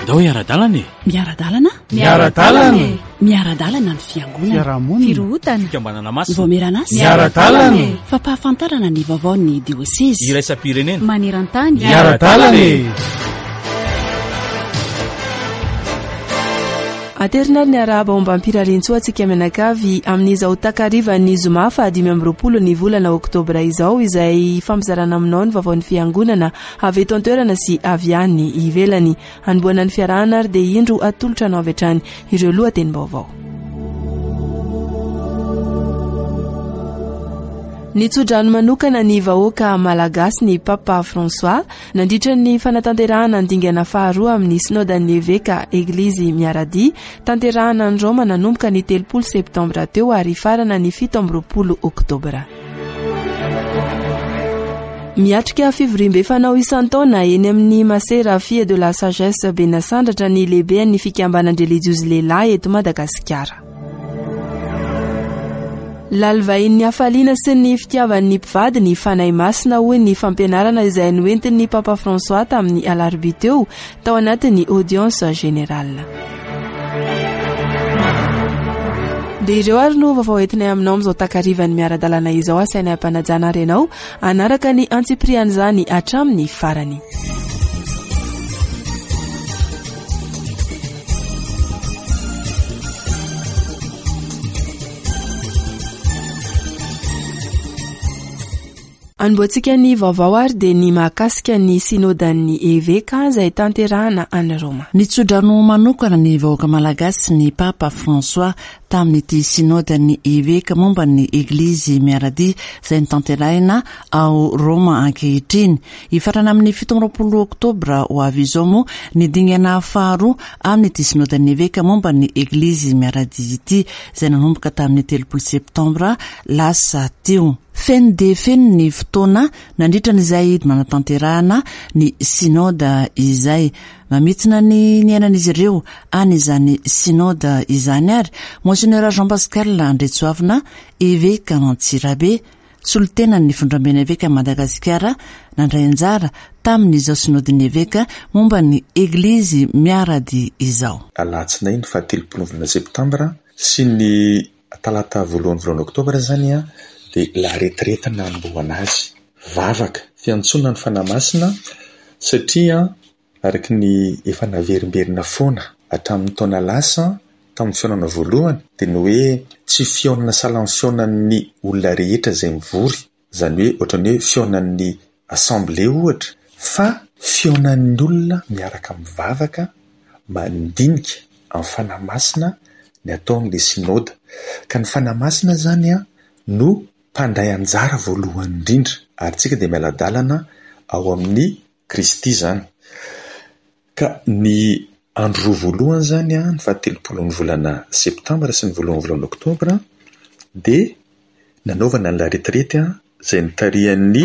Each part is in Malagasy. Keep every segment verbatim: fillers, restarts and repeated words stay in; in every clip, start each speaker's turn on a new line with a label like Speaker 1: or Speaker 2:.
Speaker 1: Andao hiara-dalana e!
Speaker 2: Miara-dalana?
Speaker 3: Miara-dalana e!
Speaker 2: Miara-dalana ny fiangonana.
Speaker 3: Fiarahamonina.
Speaker 2: Firohotana.
Speaker 1: Fikambanana masina.
Speaker 2: Voameran'asa.
Speaker 3: Miara-dalana e!
Speaker 2: Fampahafantarana ny vaovaon'ny diosezy.
Speaker 1: Iraisam-pirenena.
Speaker 2: Maneran-tany.
Speaker 3: Miara-dalana e!
Speaker 4: Aterina ary ny arahaba ombam-pirariantsoa antsika mianakavy amin'izao takarivan'ny zoma fahadimy amby roapolo ny volana oktobra izao, izay fampizarana aminao ny vaovaon'ny fiangonana avy eto an-toerana sy avy any ivelany. Hanombohana ny fiarahana ary dia indro atolotra anao avy hatrany ireo lohatenim-baovao. Nitsodrano manokana ny vahoaka malagasy ny Papa François nandritra ny fanatanterahana ny dingana faharoa amin'ny sinodan'ny eveka Eglizy Miaradia tanterahana any Roma nanomboka ny telopolo septambra teo ary hifarana ny fito amby roapolo oktobra. Miatrika fivoriambe fanao isan-taona eny amin'ny Masera Fille de la Sagesse Benasandratra ny lehiben'ny fikambanan-drelijiozy lehilahy eto Madagasikara. Lalivahin'ny hafaliana sy ny fitiavan'ny mpivady ny Fanahy Masina hoy ny fampianarana izay noentin'ny Papa François tamin'ny alarobia teo tao anatin'ny audience générale. Dia ireo ary no vaovao entinay aminao amin'izao takarivan'ny miara-dalana izao. Asainay ampanajana ary ianao hanaraka ny antsipirian'izany hatramin'ny farany. Anombohantsika ny vaovao ary dia ny mahakasika ny sinodan'ny eveka izay tanterahana any Roma.
Speaker 5: Nitsodrano manokana ny vahoaka malagasy ny Papa François tamin'ity sinodan'ny eveka momba ny Eglizy Miaradia izay notanterahina ao Roma ankehitriny. Hifarana amin'ny fito amby roapolo oktobra ho avy izao moa ny dingana faharoa amin'ity sinodan'ny eveka momba ny Eglizy Miaradia ity izay nanomboka tamin'ny telopolo septambra lasa teo. Feno dia feno ny fotoana nandritra an'izay nanatanterahana ny sinoda izay. Mamitsina ny niainan'izy ireo any izany sinoda izany ary Monseigneur Jean Pascal Andriatsoavina, eveka Antsirabe, solontenan'ny fondramben'ny eveka Madagasikara, nandray anjara tamin'izao sinodin'ny eveka momba ny Eglizy Miaradia izao.
Speaker 6: Alatsinainy fahatelopolo volana septambra sy ny talata voalohany volana oktobra zany a, dia la retraite nanombohana azy. Vavaka, fiantsoana ny Fanahy Masina, satria araka ny efa naverimberina foana hatramin'ny taona lasa tamin'ny fihaonana voalohany, dia ny hoe tsy fihaonana sahala amin'ny fihaonan'ny olona rehetra izay mivory, izany hoe ohatran'ny hoe fihaonan'ny assemblée ohatra, fa fihaonan'ny olona miaraka mivavaka, mandinika amin'ny Fanahy Masina ny ataon'ilay sinoda. Ka ny Fanahy Masina zany a no mpandray anjara voalohany indrindra, ary tsika dia miala-dalana ao amin'ny Kristy zany. Ka ny andro roa voalohany zany a, ny fahatelopolo ny volana septambra sy ny voalohany volana oktobra, dia nanaovana ny la retraite a, izay notarihan'ny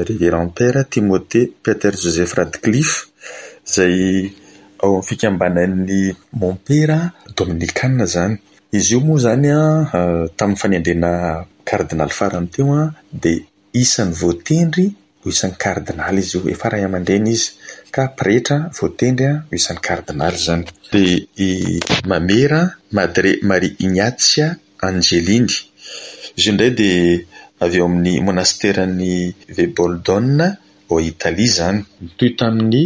Speaker 6: Révérend Père Timothée Peter Joseph Radcliffe, izay ao amin'ny fikambanan'ny Mompera Dominikana zany. Izy io moa zany a, tamin'ny fanendrena kardinaly farany teo a, dia isan'ny voatendry ho isan'ny kardinaly izy io, efa ray aman-dreny izy ka pretra voatendry a ho isan'ny kardinaly zany. Dia i Mamera Madre Maria Ignazia Angelini. Izy io indray dia avy eo amin'ny monasteran'ny Veboldone ao Italia zany. Nitohy tamin'ny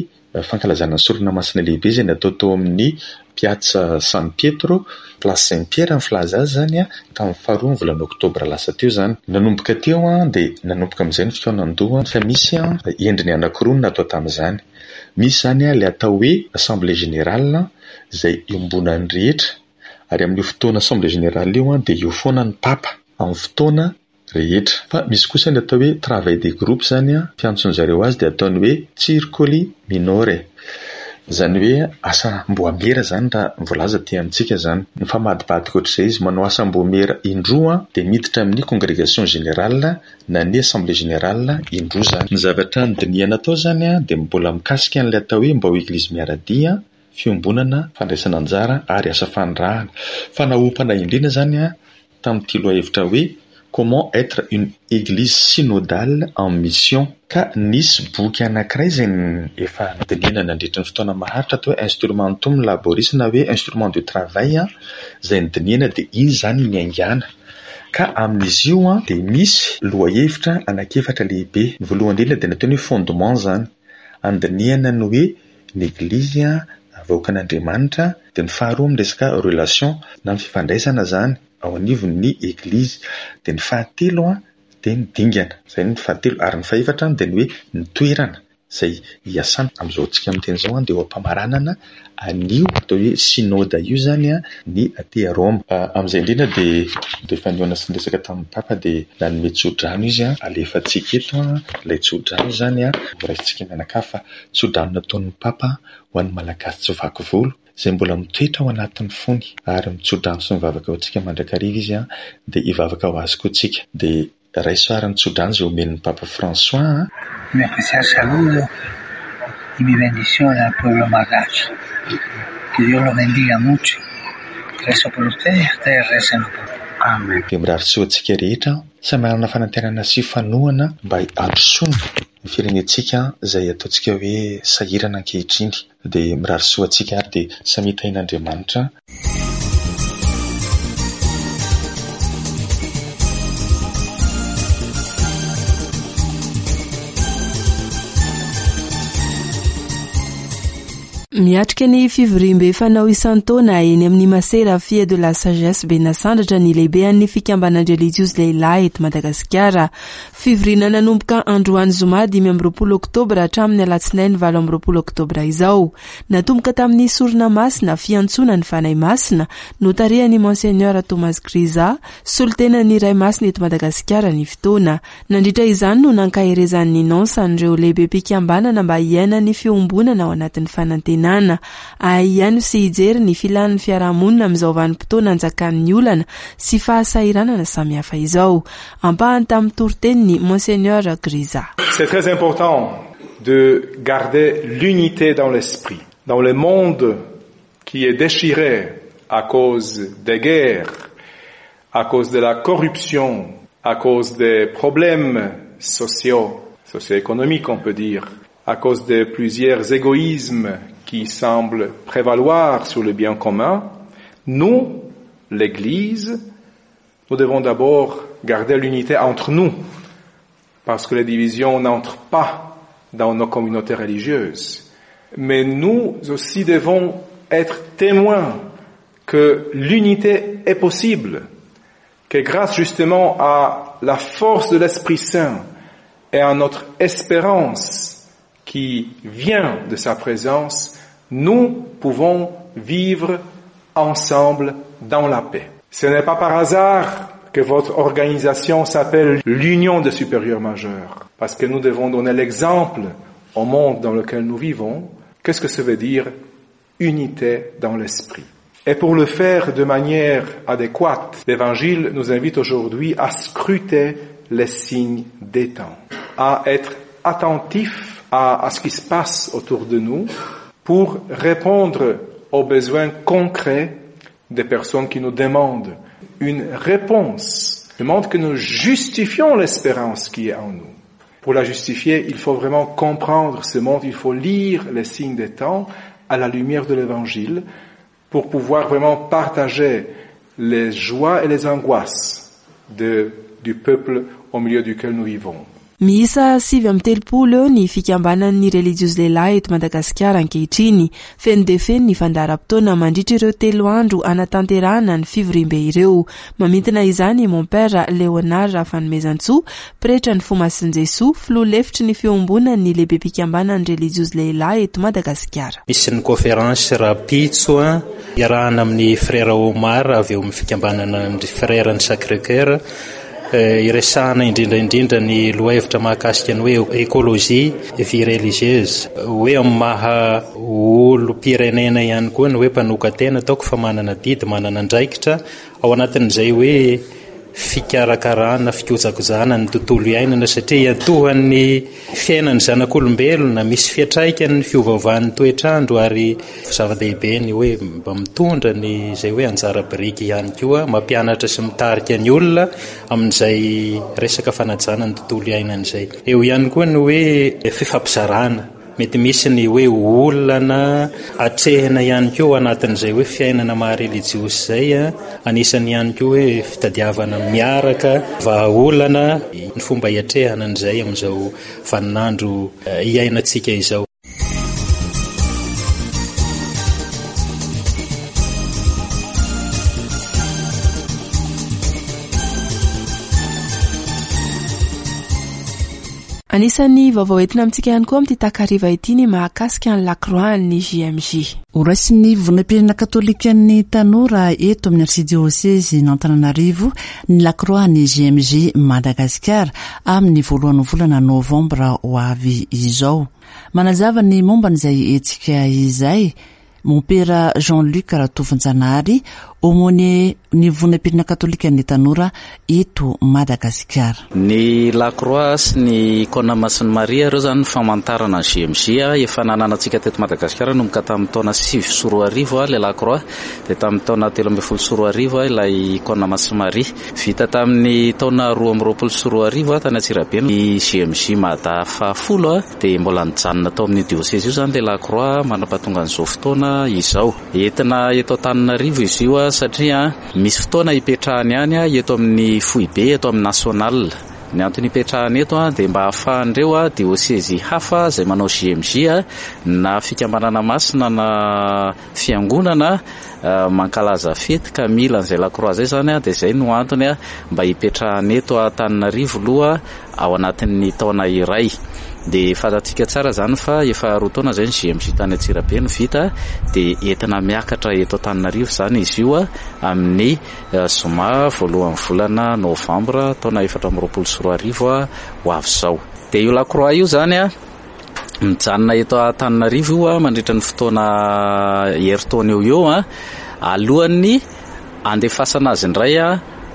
Speaker 6: fankalazana ny sorona masina lehibe izay natao tao amin'ny Piazza San Pietro, Place Saint Pierre ny filaza azy zany a, tamin'ny faharoa ny volana oktobra lasa teo zany. Nanomboka teo a, dia nanomboka amin'izay ny fihaonan-doha fa misy a endriny anankiroa no natao tamin'izany. Misy zany a ilay atao hoe Assemblée Générale izay iombonan'ny rehetra, ary amin'io fotoana Assemblée Générale io a dia eo foana ny Papa amin'ny fotoana rehetra. Fa misy kosa ny atao hoe travail des groupes zany a, fiantson'ny zareo azy dia ataony hoe circoli minore. Izany hoe asam-boamera zany raha voalaza aty amintsika zany. Mifamadibadika ohatr'izay izy, manao asam-boamera indroa dia miditra amin'ny congrégation générale na ny assemblée générale indroa zany. Ny zavatra nodinihana atao zany a dia mbola mikasika an'ilay atao hoe mba ho Eglizy Miaradia, fiombonana, fandraisana anjara ary asa fanirahana. Fa naompana indrindra zany a tamin'ity lohahevitra hoe Comment être une église synodale en mission. Ka nisy boky anankiray izay efa nodinihana nandritra ny fotoana maharitra atao hoe Instrumentum laboris na hoe instrument de travail izay nodinihana, dia iny izany niaingàna. Ka amin'izy io dia misy lohahevitra anankiefatra lehibe. Ny voalohany indrindra dia nataony hoe fondement izany, andinihana ny hoe ny eglizy vahoakan'Andriamanitra, dia ny faharoa amin'ny resaka relation na ny fifandraisana izany ao anivon'ny eglizy, dia ny fahatelo dia ny dingana, izay ny fahatelo, ary ny fahefatra dia ny hoe ny toerana izay hiasana. Amin'izao antsika miteny izao dia eo am-pamaranana an'io atao hoe synoda io izany ny aty Roma. Amin'izay indrindra dia rehefa nihaona sy niresaka tamin'ny Papa dia nanome tsodrano izy, alefantsika eto ilay tsodrano izany, horaisintsika mianakavy fa tsodrano nataon'ny Papa ho an'ny Malagasy tsy vaky volo, izay mbola mitoetra ao anatin'ny fony, ary mitsodrano sy mivavaka ho antsika mandrakariva izy, dia hivavaka ho azy koa tsika. Dia raiso ary ny tsodrano izay omen'ny Papa François.
Speaker 1: Un especial saludo y mi bendición al pueblo malgache. Que Dios los bendiga mucho. Rezo por ustedes, ustedes recen por mí. Amen.
Speaker 6: Dia mirary soa antsika rehetra, samy manana fanantenana sy fanohana mba hampirosona ny firenentsika izay ataontsika hoe sahirana ankehitriny. Dia mirary soa antsika ary dia samy tahin'Andriamanitra.
Speaker 4: Miatrika ny fivoriambe fanao isan-taona eny amin'ny Masera Fille de la Sagesse Benasandratra ny lehibean'ny fikambanan-drelijiozy lehilahy eto Madagasikara. Fivoriana nanomboka androany zoma dimy amby roapolo oktobra hatramin'ny alatsinainy valo amby roapolo oktobra izao. Natomboka tamin'ny sorona masina fiantsoana ny Fanahy Masina notarihan'ny Monseigneur Thomas Grisa, solontenan'ny Ray Masina eto Madagasikara ny fotoana. Nandritra izany no nankaherezan'ny nonce an'ireo lehibe mpikambanana mba hiaina ny fiombonana ao anatin'ny fanantenana. Ahiano sy hijery ny filan'ny fiarahamonina amin'izao vanim-potoana anjakan'ny olana sy fahasahiranana samihafa izao. Ampahany tamin'ny toriteniny Monseigneur Grisa.
Speaker 7: C'est très important de garder l'unité dans l'esprit. Dans le monde qui est déchiré à cause des guerres, à cause de la corruption, à cause des problèmes sociaux, socio-économiques on peut dire, à cause de plusieurs égoïsmes qui semblent prévaloir sur le bien commun, nous, l'Église, nous devons d'abord garder l'unité entre nous, parce que les divisions n'entrent pas dans nos communautés religieuses. Mais nous aussi devons être témoins que l'unité est possible, que grâce justement à la force de l'Esprit Saint et à notre espérance qui vient de sa présence, nous pouvons vivre ensemble dans la paix. Ce n'est pas par hasard que votre organisation s'appelle l'Union des supérieurs majeurs, parce que nous devons donner l'exemple au monde dans lequel nous vivons. Qu'est-ce que ça veut dire unité dans l'esprit? Et pour le faire de manière adéquate, l'Évangile nous invite aujourd'hui à scruter les signes des temps, à être attentif à, à ce qui se passe autour de nous pour répondre aux besoins concrets des personnes qui nous demandent une réponse, demandent que nous justifions l'espérance qui est en nous. Pour la justifier, il faut vraiment comprendre ce monde, il faut lire les signes des temps à la lumière de l'Évangile pour pouvoir vraiment partager les joies et les angoisses de, du peuple au milieu duquel nous vivons.
Speaker 4: Miisa sivy amby telopolo eo ny fikambanan'ny relijiozy lehilahy eto Madagasikara ankehitriny. Feno dia feno ny fandaharam-potoana mandritra ireo telo andro anatanterahana ny fivoriambe ireo. Mamintina izany mon père Léonard Rafanomezantsoa, pretra ny Fo Masin'i Jesoa, filoha lefitry ny fiombonan'ny lehibe mpikambanan'ny relijiozy lehilahy eto Madagasikara.
Speaker 8: Misy ny conférence rahampitso iarahana amin'ny frère Omar avy eo amin'ny fikambanana ny frère ny Sacré-Cœur. Iresahana indrindra indrindra ny lohahevitra mahakasika ny hoe écologie vie religieuse, hoe amin'ny maha olom-pirenena ihany koa ny hoe mpanokan-tena ataoko fa manana didy, manana andraikitra ao anatin'izay hoe fikarakarana, fikojakojana ny tontolo iainana, satria iantohan'ny fiainan'ny zanak'olombelona, misy fiantraikany ny fiovaovan'ny toetrandro, ary zava-dehibe ny hoe mba mitondra ny izay hoe anjara biriky ihany koa, mampianatra sy mitarika ny olona amin'izay resaka fanajana ny tontolo iainana izay. Eo ihany koa ny hoe fifampizarana, mety misy ny hoe olana atrehina ihany koa anatin'izay hoe fiainana maha relijiosy izay, anisany ihany koa hoe fitadiavana miaraka vahaolana ny fomba hiatrehana an'izay amin'izao vaninandro iainantsika izao.
Speaker 4: Anisan'ny vaovao entina amintsika ihany koa amin'ity takariva ity ny mahakasika ny lakroan'ny J M J.
Speaker 5: Horaisin'ny Vondrom-pirenena katôlikan'ny tanora eto amin'ny arsidiôsezin'Antananarivo ny lakroan'ny J M J Madagasikara amin'ny voalohan'ny volana novambra ho avy izao. Manazava ny momba an'izay hetsika izay Mompera Jean-Luc Ratovinjanahary, aumônier ny Vondrom-pirenena katôlikan'ny tanora eto Madagasikara.
Speaker 9: Ny Lacroix sy ny Icône Masin'i Maria ireo zany ny famantarana ny J M J efa nananantsika teto Madagasikara nanomboka tamin'ny taona sivy sy roa arivo ilay Lacroix, dia tamin'ny taona telo ambin'ny folo sy roa arivo ilay Icône Masin'i Maria. Vita tamin'ny taona roa amby roapolo sy roa arivo tany Antsirabe ny J M J Mada fahafolo, dia mbola nijanona tao amin'ny diôsezy io zany ilay Lacroix mandra-pahatonga an'izao fotoana izao. Entina eto Antananarivo izy io satria misy fotoana hipetrahany ihany eto amin'ny foibe, eto amin'ny national. Ny antony hipetrahany eto dia mba ahafahan'ireo diôsezy hafa izay manao J M J na fikambanana masina na fiangonana mankalaza fety ka mila an'izay Lacroix izay zany, dia izay no antony mba hipetrahany eto Antananarivo aloha ao anatin'ny taona iray. Dia fantatsika tsara zany fa efa roa taona izay ny J M J tany Antsirabe no vita, dia entina miakatra eto Antananarivo zany izy io amin'ny zoma voalohan'ny volana novambra taona efatra amby roapolo sy roa arivo ho avy izao. Dia io Lacroix io zany a mijanona eto Antananarivo io mandritra ny fotoana herintaona eo eo alohan'ny andefasana azy indray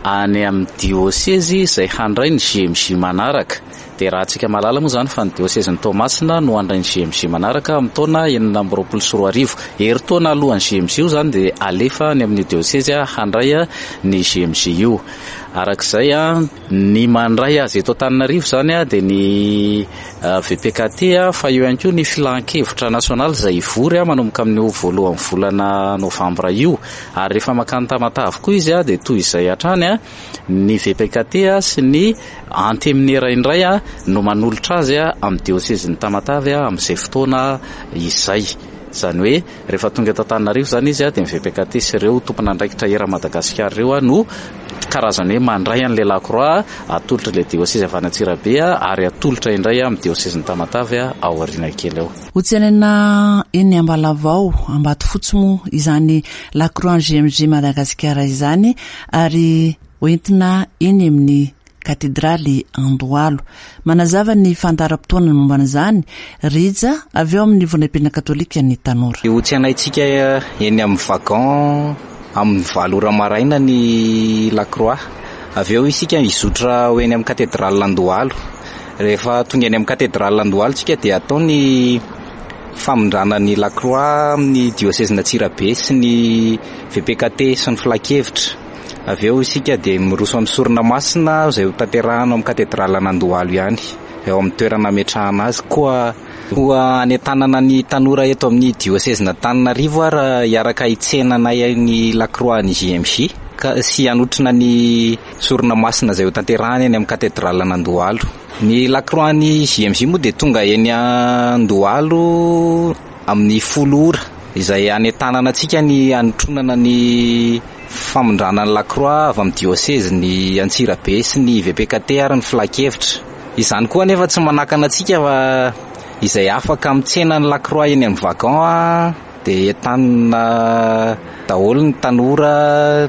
Speaker 9: any amin'ny diôsezy izay handray ny J M J manaraka. Dia raha antsika mahalala moa zany fa ny diôsezin'i Toamasina no handray ny J M J manaraka amin'ny taona enina amby roapolo sy roa arivo. Herintaona alohan'ny J M J io zany dia alefa any amin'ny diôsezy handray ny J M J io. Arak'izay ny mandray azy eto Antananarivo zany dia ny V P K T, fa eo ihany koa ny filan-kevitra nasionaly izay hivory manomboka amin'io voalohan'ny volana novambra io. Ary rehefa makany Tamatave koa izy dia toy izay hatrany ny V P K T sy ny anteminera indray no manolotra azy amin'ny diôsezin'i Tamatave amin'izay fotoana izay. Izany hoe rehefa tonga eto Antananarivo zany izy dia ny V P K T sy ireo tompon'andraikitra eran'i Madagasikara ireo no karazany hoe mandray an'ilay Lacroix atolotra ilay diôsezy avy any Antsirabe ary atolotra indray amin'ny diôsezin'i Tamatave ao aoriana kely ao.
Speaker 5: Ho tsenaina eny Ambalavao, Ambatofotsy moa izany Lacroix J M J Madagasikara izany ary hoentina eny amin'ny katedraly Andohalo. Manazava ny fandaharam-potoana momba an'izany Rija avy eo amin'ny Vondrom-pirenena katôlika ny tanora.
Speaker 9: Ho tsenaintsika eny amin'ny wagon amin'ny valo ora maraina ny Lacroix. Avy eo isika hizotra ho eny amin'ny katedraly Andohalo. Rehefa tonga eny amin'ny katedraly Andohalo tsika dia atao ny famindrana ny Lacroix amin'ny diôsezin'Antsirabe sy ny V P K T sy ny filan-kevitra. Avy eo isika dia miroso amin'ny sorona masina izay ho tanterahana amin'ny katedralan'Andohalo ihany, eo amin'ny toerana ametrahana azy. Koa koa anentanana ny tanora eto amin'ny diôsezin'Antananarivo ary hiaraka hitsenanay ny Lacroix ny J M J ka sy hanotrona ny sorona masina izay ho tanterahana eny amin'ny katedralan'Andohalo. Ny Lacroix ny J M J moa dia tonga eny Andohalo amin'ny folo ora izay anentanana antsika ny hanotronana ny famindrana ny Lacroix avy amin'ny diôsezy ny Antsirabe sy ny V P K T ary ny filan-kevitra. Izany koa anefa tsy manakana antsika fa izay afaka mitsena ny Lacroix eny amin'ny wagon dia entanina daholo ny tanora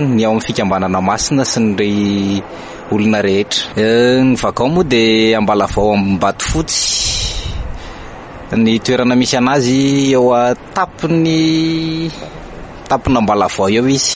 Speaker 9: ny ao amin'ny fikambanana masina sy ny olona rehetra. Ny wagon moa dia Ambalavao Ambatofotsy ny toerana misy anazy eo an-tampony tampon'Ambalavao eo izy.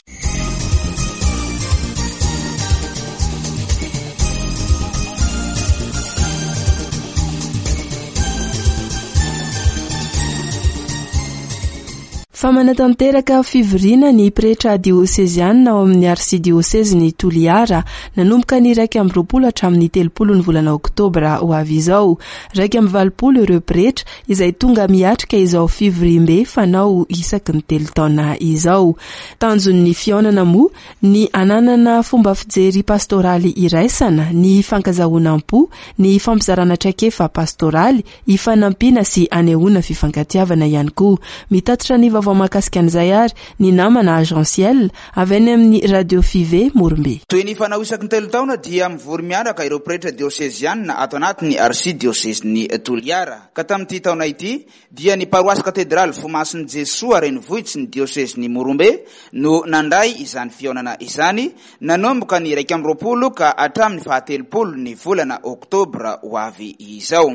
Speaker 4: Fa manatanteraka fivoriana ny pretra diosezianina ao amin'ny arsidiosezin'i Toliara nanomboka ny iraika amby roapolo hatramin'ny telopolo ny volana oktobra ho avy izao. Iraika amby valopolo ireo pretra izay tonga miatrika izao fivoriambe fanao isaky ny telo taona izao. Tanjon'ny fihaonana moa ny ananana fomba fijery pastoraly iraisana, ny fankazahoana am-po, ny fampizarana traikefa pastoraly, ifanampiana sy anehoana fifankatiavana ihany koa. Mitatitra ny vaovao mahakasika an'izay ary ny namana Agenciel avy any amin'ny Radio Five Morombe.
Speaker 10: Toy ny fanao isaky ny telo taona dia mivory miaraka ireo pretra diosezianina ato anatin'ny arsidiosezin'i Toliara. Ka tamin'ity taona ity dia ny paroasy katedraly Fomasin'i Jesoa renivohitsy ny diosezin'i Morombe no nandray izany fihaonana izany nanomboka ny iraika amby roapolo ka hatramin'ny fahatelopolo ny volana oktobra ho avy izao.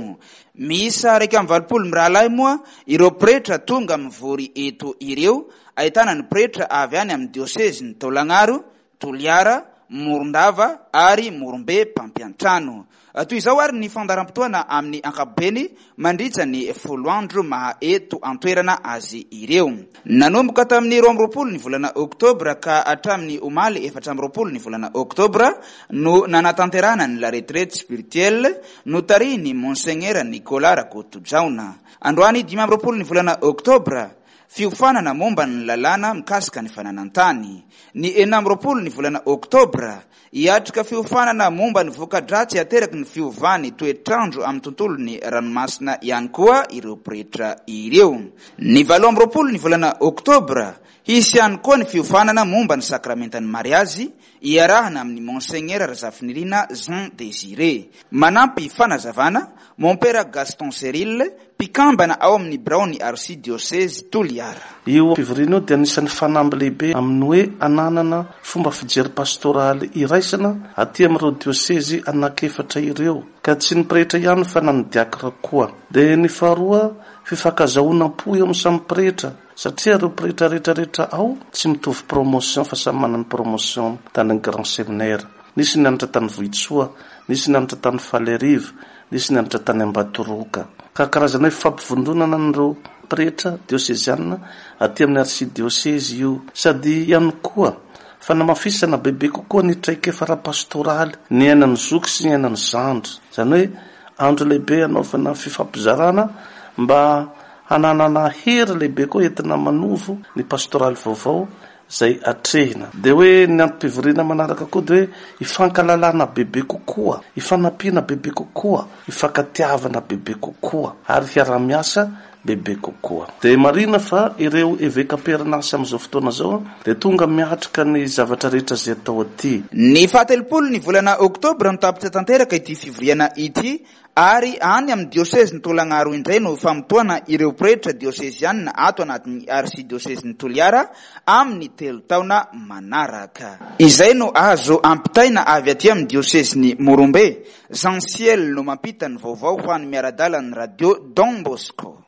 Speaker 10: Miisa iraika amby valopolo mirahalahy moa ireo pretra tonga mivory eto ireo, ahitana ny pretra avy any amin'ny diosezin'i Taolagnaro, Toliara, Morondava ary Morombe mpampiantrano. Toy izao ary ny fandaharam-potoana amin'ny ankapobeny mandritra ny folo andro maha eto an-toerana azy ireo. Nanomboka tamin'ny roa amby roapolo ny volana oktobra ka hatramin'ny omaly efatra amby roapolo ny volana oktobra no nanatanterahana ny la retraite spirituelle notarihin'ny Monseigneur Nicolas Rakotojaona. Androany dimy amby roapolo ny volana oktobra, fiofanana momba ny lalàna mikasika ny fananan-tany. Ny enina amby roapolo ny volana oktobra, hiatrika fiofanana momba ny voka-dratsy ateraky ny fiovan'ny toetrandro amin'ny tontolon'ny ranomasina ihany koa ireo pretra ireo. Ny valo amby roapolo ny volana oktobra, hisy ihany koa ny fiofanana momba ny sakramentan'ny mariazy iarahana amin'ny Monseigneur Razafinirina Jean Désiré. Manampy fanazavana Mompera Gaston Cyril, mpikambana ao amin'ny biraon'ny arsidiosezy Toliara.
Speaker 11: Io fivoriana io dia anisan'ny fanamby lehibe amin'ny hoe ananana fomba fijery pastoraly iraisana aty amin'ireo diosezy anankiefatra ireo, ka tsy ny pretra ihany fa na ny diakra koa. Dia ny faharoa, fifankazahoana am-po eo amin'ny samy pretra, satria ireo pretra rehetrarehetra ao tsy mitovy promotion fa samy manana promotion tany amin'ny grand séminaire. Nisy nianatra tany Vohitsoa, nisy nianatra tany Faleriva, nisy nianatra tany Ambatoroka. Ka karazana hoe fampivondronana an'ireo pretra diosezianina aty amin'ny arsidiosezy io. Sady ihany koa fanamafisana bebe kokoa ny traikefa ara-pastoraly, ny ainan'ny zoky sy ny ainan'ny zandry. Izany hoe andro lehibe anaovana fifampizarana mba hananana hery lehibe koa entina manovo ny pastoraly vaovao izay atrehina. Dia hoe ny antom-pivoriana manaraka koa dia hoe ifankalalana bebe kokoa, ifanampiana bebe kokoa, ifankatiavana bebe kokoa ary hiara-miasa bebe kokoa. Dia marina fa ireo eveka am-perinasa amin'izao fotoana izao dia tonga miatrika ny zavatra rehetra izay atao aty.
Speaker 10: Ny fahatelopolo ny volana oktobra no tapitra tanteraka ity fivoriana ity, ary any amin'ny diosezin'i Taolagnaro indray no famotoana ireo pretra diosezianina ato anatin'ny arsidiosezin'i Toliara amin'ny telo taona manaraka. Izay no azo ampitaina avy aty amin'ny diosezin'i Morombe. Jean Ciel no mampita ny vaovao ho an'ny miara-dalan'ny radio Don Bosco.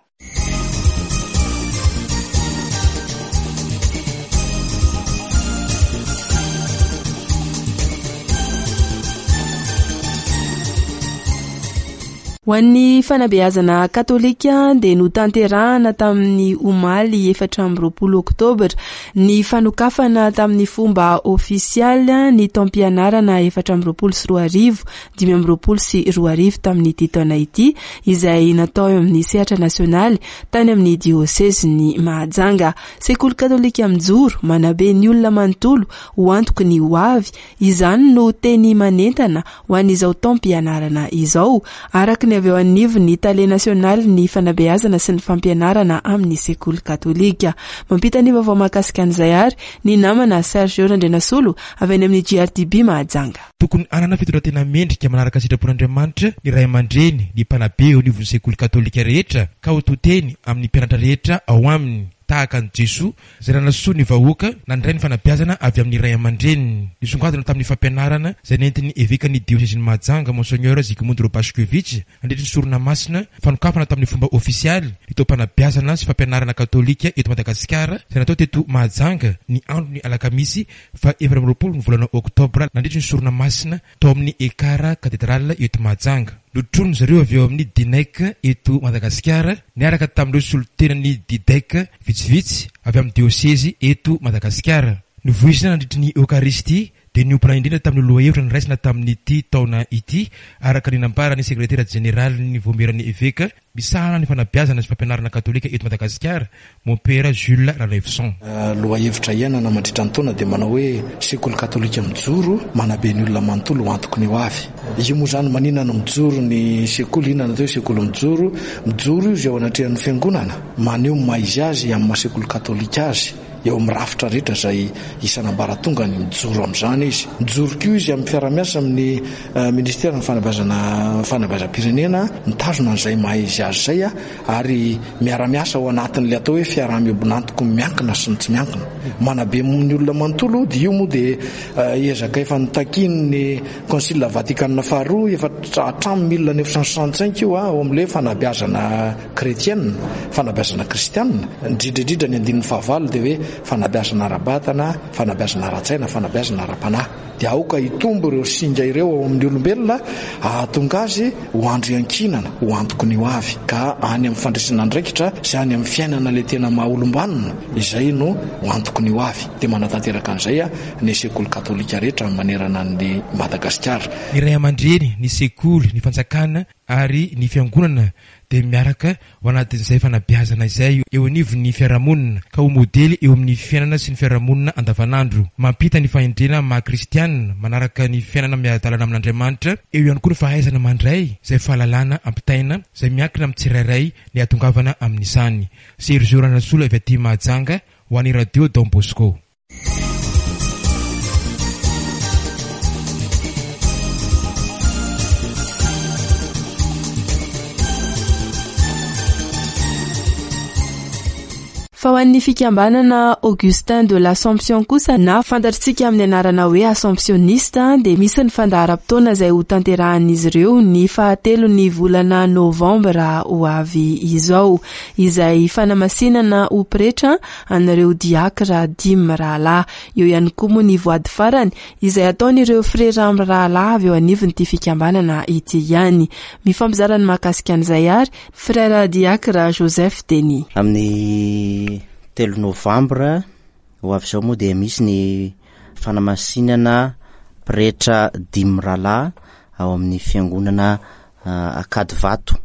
Speaker 4: Ho an'ny fanabeazana katolika dia notanterahana tamin'ny omaly efatra amby roapolo oktobra ny fanokafana tamin'ny fomba ofisialy ny taom-pianarana efatra amby roapolo sy roa arivo dimy amby roapolo sy roa arivo tamin'ity taona ity, izay natao eo amin'ny sehatra nasionaly tany amin'ny diosezin'i Mahajanga. Sekoly katolika mijoro manabe ny olona manontolo ho antoky ny ho avy, izany no teny manentana ho an'izao taom-pianarana izao, araka ny avy eo anivon'ny tale nasionaly ny fanabeazana sy ny fampianarana amin'ny sekoly katolika. Mampita ny vaovao mahakasika an'izay ary ny namana Sergio Randrianasolo avy any amin'ny G R T B Mahajanga.
Speaker 12: Tokony hanana fitondran-tena mendrika manaraka sitrapon'Andriamanitra ny ray aman-dreny, ny mpanabe eo anivon'ny sekoly katolika rehetra, ka ho to-teny amin'ny mpianatra rehetra ao aminy, tahaka an'i Jesoa izay nanasoa ny vahoaka nandray ny fanabeazana avy amin'ny ray aman-dreniny. Nisongadina tamin'ny fampianarana izay nentin'ny evekan'ny diosezin'i Mahajanga, Monseigneur Zygmunt Robaszkiewicz, nandritry ny sorona masina, fanokafana tamin'ny fomba ofisialy ny taom-panabeazana sy fampianarana katolika eto Madagasikara izay natao teto Mahajanga ny andron'ny alakamisy fa efatra amby roapolo ny volana oktobra nandritry ny sorona masina tao amin'ny Ekara katedrala eto Mahajanga. Notronin-dry zareo avy eo amin'ny DINEC eto Madagasikara niaraka tamin'ireo solontenan'ny DIDEC vitsivitsy avy amin'ny diosezy eto Madagasikara. Novoizina nandritry ny Eokaristia dia niompana indrindra tamin'ny lohahevitra noraisina tamin'ity taona ity, araka ny nambaran'ny sekretera jeneralin'ny Vaomieran'ny Eveka misahana ny fanabeazana sy fampianarana katolika eto Madagasikara, Mompera Jules Ralaivoson.
Speaker 13: Lohahevitra iainana mandritra ny taona dia manao hoe sekoly katolika mijoro manabe ny olona manontolo ho antoky ny ho avy. Io moa izany maninona no mijoro ny sekoly, inona no atao hoe sekoly mijoro? Mijoro izy eo anatrehan'ny fiangonana, maneho ny maha izy azy amin'ny maha sekoly katolika azy. Eo amin'ny rafitra rehetra izay isan'ambaratongany, mijoro amin'izany izy. Mijoro koa izy amin'ny fiaraha-miasa amin'ny ministeran'ny fanabeazana fanabeazam-pirenena, mitazona an'izay maha izy azy izay, ary miara-miasa ao anatin'ilay atao hoe fiaraha-miombon'antoko miankina sy ny tsy miankina. Manabe ny olona manontolo, dia io moa dia ezaka efa notakian'ny Concile Vatikana faharoa efa hatramin'ny mille neuf cent soixante-cinq io, ao amin'ilay fanabeazana chrétienne, fanabeazana kristianina, indrindra indrindra ny andininy fahavalo dia hoe fanabeazana ara-batana, fanabeazana ara-tsaina, fanabeazana ara-panahy. Dia aoka hitombo ireo singa ireo ao amin'ny olombelona hahatonga azy ho andro iankinana, ho antoky ny ho avy, ka any amin'ny fandraisana andraikitra sy any amin'ny fiainana ilay tena maha olom-banona, izay no ho antoky ny ho avy. Dia manatanteraka an'izay ny sekoly katolika rehetra manerana an'i Madagasikara.
Speaker 12: Ny ray aman-dreny, ny sekoly, ny fanjakana ary ny fiangonana dia miaraka ho anatin'izay fanabeazana izay eo anivon'ny fiarahamonina ka ho modely eo amin'ny fiainana sy ny fiarahamonina andavanandro. Mampita ny fahendrena maha kristianina, manaraka ny fiainana miara-dalana amin'Andriamanitra, eo ihany koa ny fahaizana mandray izay fahalalana ampitaina izay miankina amin'ny tsirairay ny hahatongavana amin'izany. Sergio Ranasolo avy aty Mahajanga ho an'ny Radio Don Bosco.
Speaker 4: Fa ho an'ny fikambanana Augustin de l'Assomption kosa na fantatritsika amin'ny anarana hoe Assomptionniste dia misy ny fandaharam-potoana izay ho tanterahan'izy ireo ny fahatelon'ny volana novambra ho avy izao, izay fanamasinana ho pretra an'ireo diakra dimy rahalahy. Eo ihany koa moa ny voady farany izay ataon'ireo frera mirahalahy avy eo anivon'ity fikambanana ity ihany. Mifampizara ny mahakasika an'izay ary frera diakra Joseph Denis.
Speaker 14: Amin'ny telo novambra ho avy izao moa dia misy ny fanamasinana pretra dimy rahalahy ao amin'ny fiangonana Ankadivato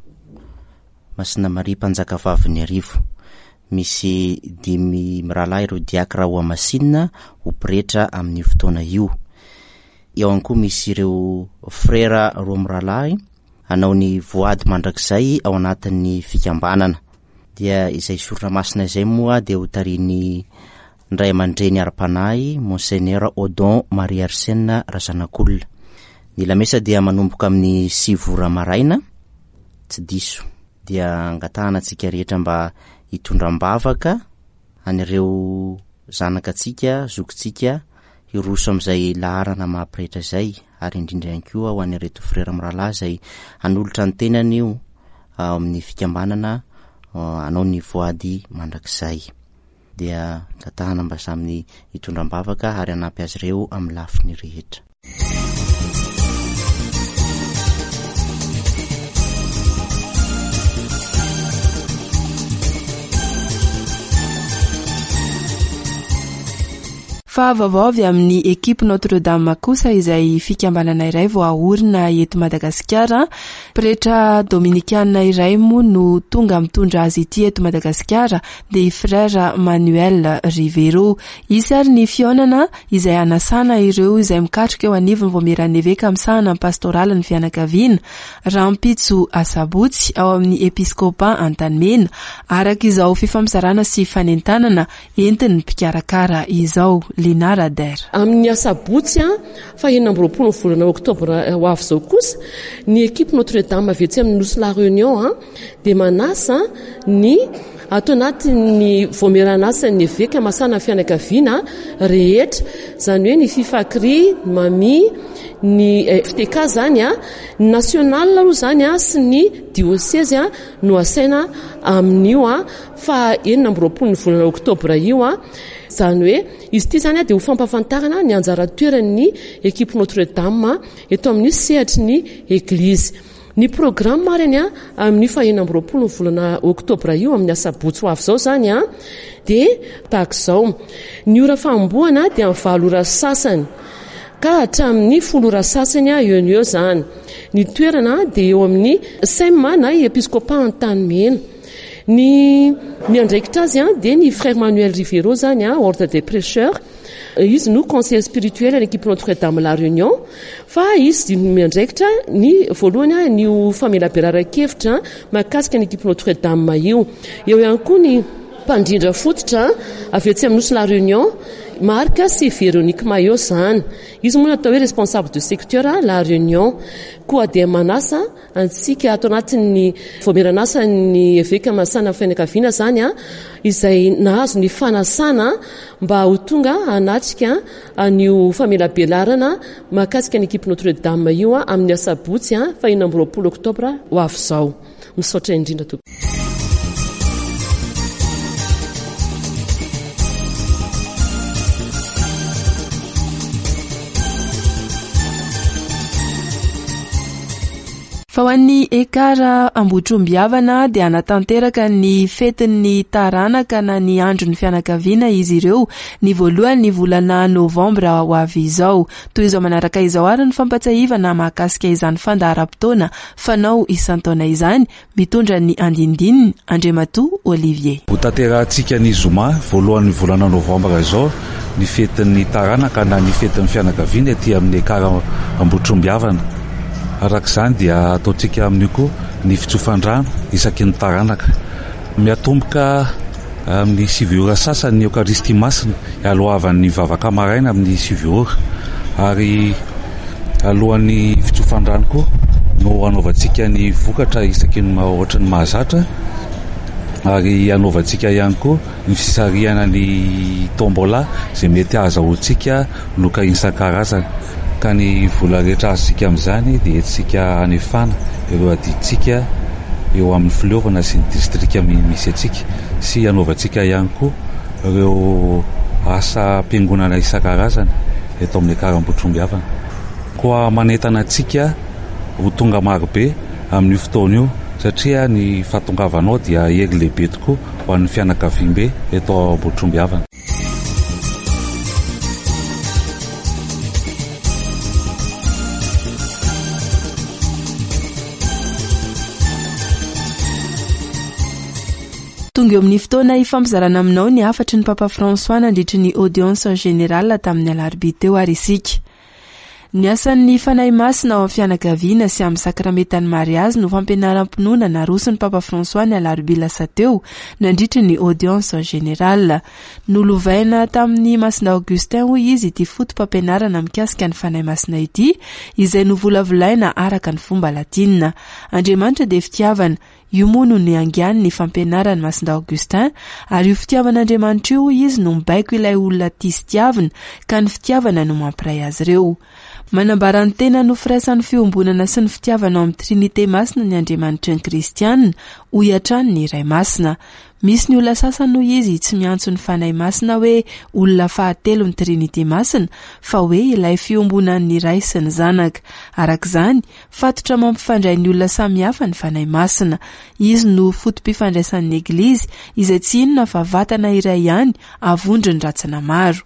Speaker 14: Masina Maria Mpanjakavavin'ny Arivo. Misy dimy mirahalahy ireo diakra ho hamasinina ho pretra amin'io fotoana io. Eo ihany koa misy ireo frera roa mirahalahy hanao ny voady mandrakizay ao anatin'ny fikambanana. Dia izay sorona masina izay moa dia ho tarihin'ny ray aman-dreny ara-panahy Monseigneur Odon Marie Arsène Razanakolona. Ny lamesa dia manomboka amin'ny sivy ora maraina, tsy diso. Dia angatahana antsika rehetra mba hitondra am-bavaka an'ireo zanakatsika, zokintsika hiroso amin'izay laharana maha-pretra izay, ary indrindra ihany koa ho an'ireto frera mirahalahy izay hanolotra ny tenany io ao amin'ny fikambanana hanao ny voady mandrakizay. Dia angatahana mba samy hitondra am-bavaka ary hanampy azy ireo amin'ny lafiny rehetra.
Speaker 4: Fa vaovao avy amin'ny ekipa Notre Dame kosa izay fikambanana iray vao aorina eto Madagasikara. Pretra dominikana iray moa no tonga mitondra azy ity eto Madagasikara, dia Frère Manuel Rivero. Hisy ary ny fihaonana izay hanasana ireo izay mikatroka eo anivon'ny Vaomieran'ny Eveka misahana ny pastoralin'ny fianakaviana rahampitso asabotsy ao amin'ny Episkopa Antanimena, araka izao fifampizarana sy fanentanana entin'ny mpikarakara izao. Lina Rader.
Speaker 15: Amin'ny asabotsy fa enina amby roapolo ny volana oktobra ho avy izao kosa, ny ekipa Notre Dame avy etsy amin'ny Nosy La Réunion dia manasa ny ato anatin'ny vaomieran'asan'ny eveka masana fianakaviana rehetra, izany hoe ny Fifakri, ny Mami, ny F T K zany, ny national aloha zany sy ny diocèse no asaina amin'io fa enina amby roapolo ny volana oktobra io. Izany hoe izy ity zany dia ho fampahafantarana ny anjara toeran'ny ekipa Notre Dame eto amin'ny sehatry ny Eglizy. Ny programme ary any amin'io fahenina amby roapolo ny volana oktobra io, amin'ny asabotsy ho avy izao izany, dia tahaka izao. Ny ora fanombohana dia amin'ny valo ora sasany ka hatramin'ny folo ora sasany eo no eo izany. Ny toerana dia eo amin'ny S E M na Episkopat Antanimena. Ny miandraikitra azy dia ny Frère Manuel Rivero izany, Ordre des Prêcheurs. Izy no conseiller spirituel any équipe Notre Dame La Réunion, fa izy no miandraikitra ny voalohany ny famelabelaran-kevitra mahakasika ny équipe Notre Dame io. Eo ihany koa ny mpandrindra fototra avy etsy amin'ny Nosy La Réunion, Marc sy Véronique Maillot izany. Izy moa natao hoe responsable de secteur La Réunion. Koa dia manasa antsika ato anatin'ny voameran'asan'ny eveka masana fianakaviana izany, izay nahazo ny fanasana mba ho tonga hanatrika an'io famelabelarana mahakasika ny équipe Notre Dame io amin'ny asabotsy fahenina amby roapolo oktobra ho avy izao. Misaotra indrindra tompoko.
Speaker 4: Fa ho an'ny Ekara Ambohitrombihavana dia hanatanteraka ny fetin'ny taranaka na ny andron'ny fianakaviana izy ireo ny voalohan'ny volana novambra ho avy izao. Toy izao manaraka izao ary ny fampatsiahivana mahakasika izany fandaharam-potoana fanao isan-taona izany, mitondra ny andindininy Andriamatoa Olivier.
Speaker 16: Ho tanterahantsika ny zoma voalohan'ny volana novambra izao ny fetin'ny taranaka na ny fetin'ny fianakaviana aty amin'ny Ekara Ambohitrombihavana. Araka izany dia ataontsika amin'io koa ny fitsofan-drano isaky ny taranaka. Miatomboka amin'ny sivy ora sasany ny Eokaristia Masina, alohavan'ny vavaka maraina amin'ny sivy ora. Ary alohan'ny fitsofan-drano koa no anaovantsika ny vokatra isaky ny ohatry ny mahazatra, ary anaovantsika ihany koa ny fisarihana ny tombola izay mety ahazahoantsika loka isan-karazany. Ka ny vola rehetra azontsika amin'izany dia entintsika hanefana ireo adidintsika eo amin'ny fileovana sy ny distrika misy antsika, sy hanaovantsika ihany koa ireo asam-piangonana isan-karazany eto amin'ny Ekara Ambohitrombihavana. Koa manentana antsika ho tonga marobe amin'io fotoana io, satria ny fahatongavanao dia hery lehibe tokoa ho an'ny fianakaviambe eto Ambohitrombihavana.
Speaker 4: Tonga eo amin'ny fotoana ifampizarana aminao ny hafatry ny Papa François nandritry ny audience générale tamin'ny alarobia teo ary isika. Ny asan'ny Fanahy Masina ao amin'ny fianakaviana sy amin'ny sakramentan'ny mariazy no fampianaram-pinoana naroson'ny Papa François ny alarobia lasa teo nandritry ny audience générale. Nolovaina tamin'ny Masina Augustin hoy izy ity foto-pampianarana mikasika ny Fanahy Masina ity, izay novolavolaina araka ny fomba latina. Andriamanitra dia fitiavana. Io moa no niaingan'ny ny fampianaran'i Masina Augustin, ary io fitiavan'Andriamanitra io hoy izy no mibaiko ilay olona tia sy tiavina, ka ny fitiavana no mampiray azy ireo. Manambara ny tena no firaisan'ny fiombonana sy ny fitiavana ao amin'ny Trinité Masina ny Andriamanitry ny Kristianina, hoy hatrany ny Ray Masina. Misy ny olona sasany hoy izy tsy miantso ny Fanahy Masina hoe olona fahatelo ny Trinité Masina, fa hoe ilay fiombonan'ny Ray sy ny Zanaka. Araka izany, fatotra mampifandray ny olona samihafa ny Fanahy Masina. Izy no foto-pifandraisan'ny Eglizy, izay tsy inona fa vatana iray ihany avondron'ny rantsana maro.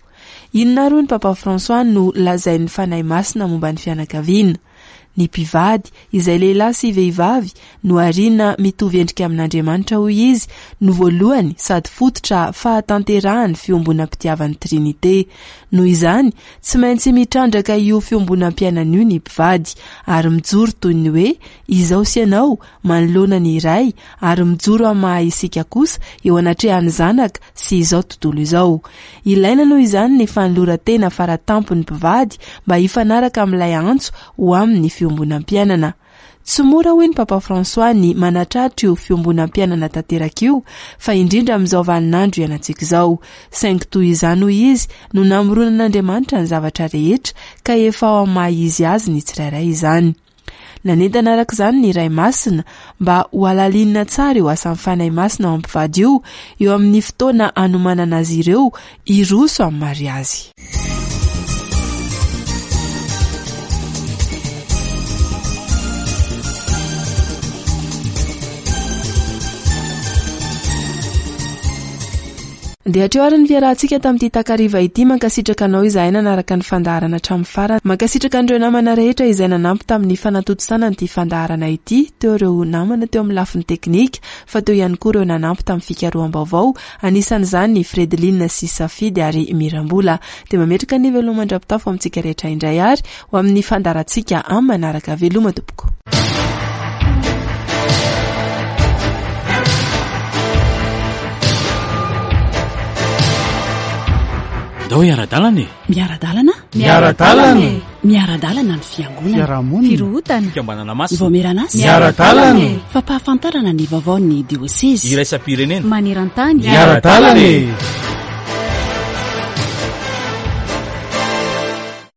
Speaker 4: Inona ary hoy ny Papa François no lazain'ny Fanahy Masina momba ny fianakaviana? Ny mpivady, izay lehilahy sy vehivavy, no arina mitovy endrika amin'Andriamanitra hoy izy, no voalohany sady fototra fahatanterahan'ny fiombonam-pitiavan'ny Trinité. Noho izany, tsy maintsy mitrandraka io fiombonam-piainana io ny mpivady, ary mijoro toy ny hoe izao sy ianao manoloana ny iray, ary mijoro amin'ny maha isika kosa eo anatrehan'ny zanaka sy izao tontolo izao. Ilaina noho izany ny fanoloran-tena faratampon'ny mpivady mba hifanaraka amin'ilay antso ho amin'ny fiombonam-piainana. Tsy mora hoy ny Papa François ny manatratra io fiombonam-piainana tanteraka io, fa indrindra amin'izao vaninandro iainantsika izao. Saingy toy izany hoy izy no namoronan'Andriamanitra ny zavatra rehetra, ka efa ao amin'ny maha izy azy ny tsirairay izany. Nanentana araka izany ny Ray Masina mba ho halalinina tsara io asan'ny Fanahy Masina ao amin'ny mpivady io, eo amin'ny fotoana hanomanana azy ireo hiroso amin'ny mariazy. Dia hatreo ary ny fiarahantsika tamin'ity takariva ity. Mankasitraka anao izahay nanaraka ny fandaharana hatramin'ny farany. Mankasitraka an'ireo namana rehetra izay nanampy tamin'ny fanatontosana an'ity fandaharana ity. Teo ireo namana teo amin'ny lafiny teknika, fa teo ihany koa ireo nanampy tamin'ny fikaroham-baovao, anisan'izany ny Fredeline sy Safidy ary Mirambola. Dia mametraka ny veloma mandra-pitafo amintsika rehetra indray ary ho amin'ny fandaharantsika amin'ny manaraka. Veloma tompoko.
Speaker 17: Ndao hiara-dalana e!
Speaker 2: Miara-dalana?
Speaker 3: Miara-dalana e!
Speaker 2: Miara-dalana ny fiangonana.
Speaker 3: Fiarahamonina.
Speaker 2: Firohotana.
Speaker 17: Fikambanana masina.
Speaker 2: Vaomieran'asa.
Speaker 3: Miara-dalana e!
Speaker 2: Fampahafantarana ny vaovaon'ny diosezy.
Speaker 17: Iraisam-pirenena.
Speaker 2: Maneran-tany.
Speaker 3: Miara-dalana e!